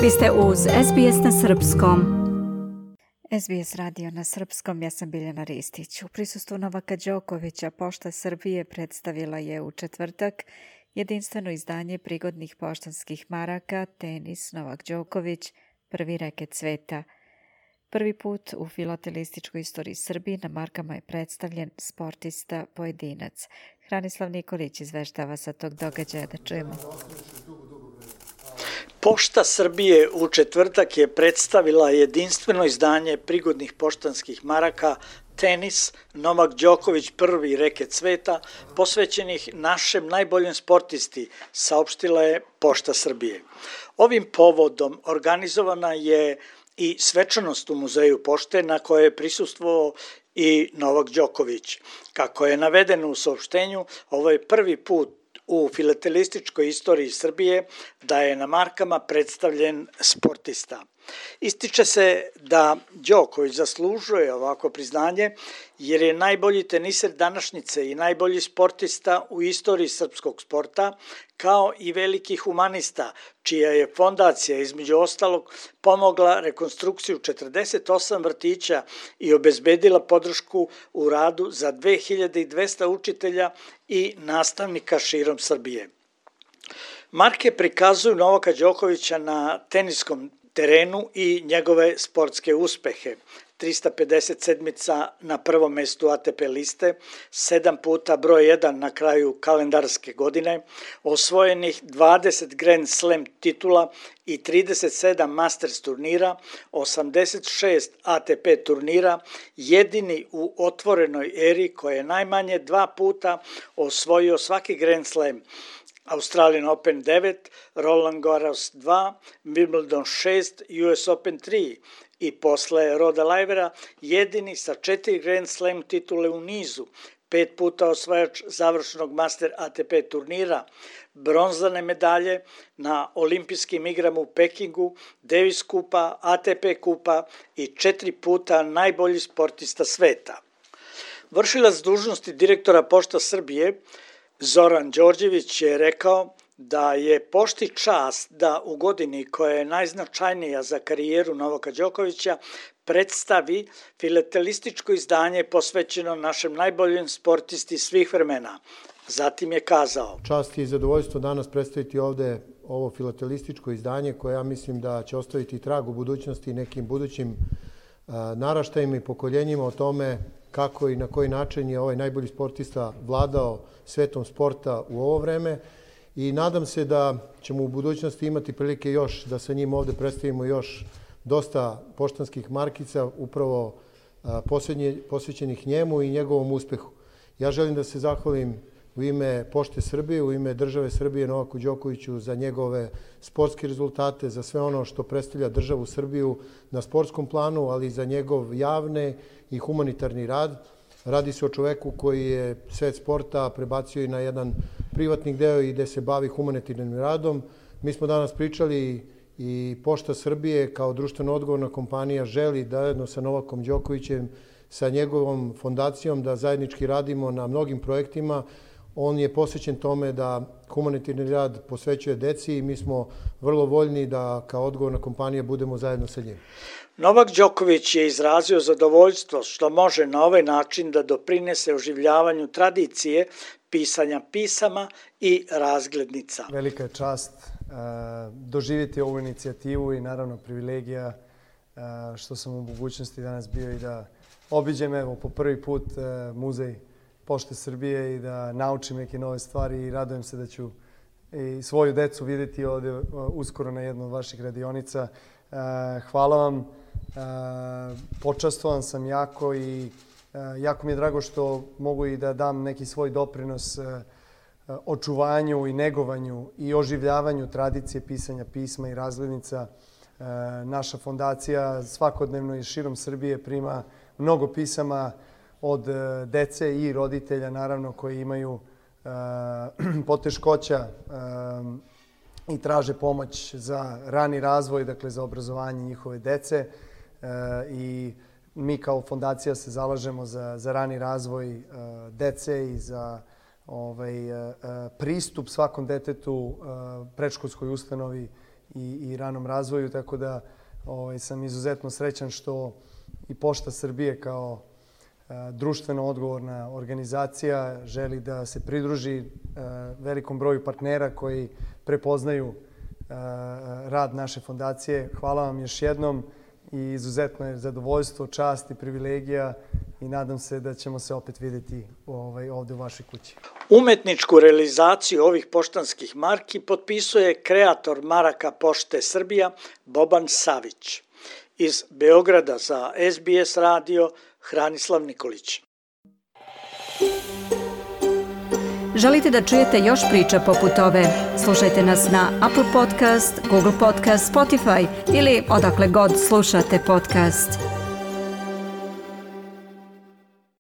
Vi ste uz SBS na Srpskom. SBS radio na Srpskom, ja sam Biljana Ristić. U prisustvu Novaka Đokovića Pošta Srbije predstavila je u četvrtak jedinstveno izdanje prigodnih poštanskih maraka Tenis Novak Đoković, prvi reket sveta. Prvi put u filatelističkoj istoriji Srbije na markama je predstavljen sportista pojedinac. Hranislav Nikolić izveštava sa tog događaja, da čujemo. Pošta Srbije u četvrtak je predstavila jedinstveno izdanje prigodnih poštanskih maraka Tenis Novak Đoković, prvi reket sveta, posvećenih našem najboljem sportisti, saopštila je Pošta Srbije. Ovim povodom organizovana je i svečanost u Muzeju pošte na kojoj je prisustvovao i Novak Đoković. Kako je navedeno u saopštenju, ovo je prvi put u filatelističkoj istoriji Srbije da je na markama predstavljen sportista. Ističe se da Đoković zaslužuje ovako priznanje jer je najbolji teniser današnjice i najbolji sportista u istoriji srpskog sporta, kao i veliki humanista, čija je fondacija između ostalog pomogla rekonstrukciju 48 vrtića i obezbedila podršku u radu za 2200 učitelja i nastavnika širom Srbije. Marke prikazuju Novaka Đokovića na teniskom terenu i njegove sportske uspehe. 357 na prvom mestu ATP liste, 7 puta broj 1 na kraju kalendarske godine, osvojenih 20 Grand Slam titula i 37 Masters turnira, 86 ATP turnira, jedini u otvorenoj eri koji je najmanje 2 puta osvojio svaki Grand Slam. Australian Open 9, Roland Garros 2, Wimbledon 6, US Open 3 i posle Roda Laivera jedini sa 4 Grand Slam titule u nizu, 5 puta osvajač završnog Master ATP turnira, bronzane medalje na olimpijskim igrama u Pekingu, Davis kupa, ATP kupa i 4 puta najbolji sportista sveta. Vršilac dužnosti direktora Pošta Srbije Zoran Đorđević je rekao da je Pošti čast da u godini koja je najznačajnija za karijeru Novaka Đokovića predstavi filatelističko izdanje posvećeno našem najboljem sportisti svih vremena. Zatim je kazao: Čast i zadovoljstvo danas predstaviti ovde ovo filatelističko izdanje koje ja mislim da će ostaviti trag u budućnosti nekim budućim naraštajima i pokoljenjima o tome kako i na koji način je ovaj najbolji sportista vladao svetom sporta u ovo vreme i nadam se da ćemo u budućnosti imati prilike još da sa njim ovde predstavimo još dosta poštanskih markica upravo posvećenih njemu i njegovom uspehu. Ja želim da se zahvalim u ime Pošte Srbije, u ime države Srbije Novaku Đokoviću za njegove sportske rezultate, za sve ono što predstavlja državu Srbiju na sportskom planu, ali i za njegov javni i humanitarni rad. Radi se o čoveku koji je svet sporta prebacio i na jedan privatni deo i gde se bavi humanitarnim radom. Mi smo danas pričali i Pošta Srbije kao društveno odgovorna kompanija želi da zajedno sa Novakom Đokovićem, sa njegovom fondacijom da zajednički radimo na mnogim projektima. On je posvećen tome da humanitarni rad posvećuje deci i mi smo vrlo voljni da kao odgovorna kompanija budemo zajedno sa njim. Novak Đoković je izrazio zadovoljstvo što može na ovaj način da doprinese oživljavanju tradicije pisanja pisama i razglednica. Velika je čast doživjeti ovu inicijativu i naravno privilegija što sam u mogućnosti danas bio i da obiđem po prvi put muzej Pošte Srbije i da naučim neke nove stvari i radujem se da ću i svoju decu vidjeti ovdje uskoro na jednu od vaših radionica. Hvala vam, počastvovan sam jako i jako mi je drago što mogu i da dam neki svoj doprinos očuvanju i negovanju i oživljavanju tradicije pisanja pisma i razglednica. Naša fondacija svakodnevno i širom Srbije prima mnogo pisama od dece i roditelja, naravno, koji imaju poteškoća i traže pomoć za rani razvoj, dakle za obrazovanje njihove dece. I mi kao fondacija se zalažemo za rani razvoj dece i za pristup svakom detetu predškolskoj ustanovi i ranom razvoju, tako da sam izuzetno srećan što i Pošta Srbije kao društveno odgovorna organizacija želi da se pridruži velikom broju partnera koji prepoznaju rad naše fondacije. Hvala vam još jednom i izuzetno je zadovoljstvo, čast i privilegija i nadam se da ćemo se opet vidjeti ovdje u vašoj kući. Umetničku realizaciju ovih poštanskih marki potpisuje kreator maraka Pošte Srbija Boban Savić. Iz Beograda za SBS radio Hranislav Nikolić. Želite da čujete još priča poput ove? Slušajte nas na Apple Podcast, Google Podcast, Spotify ili odakle god slušate podcast.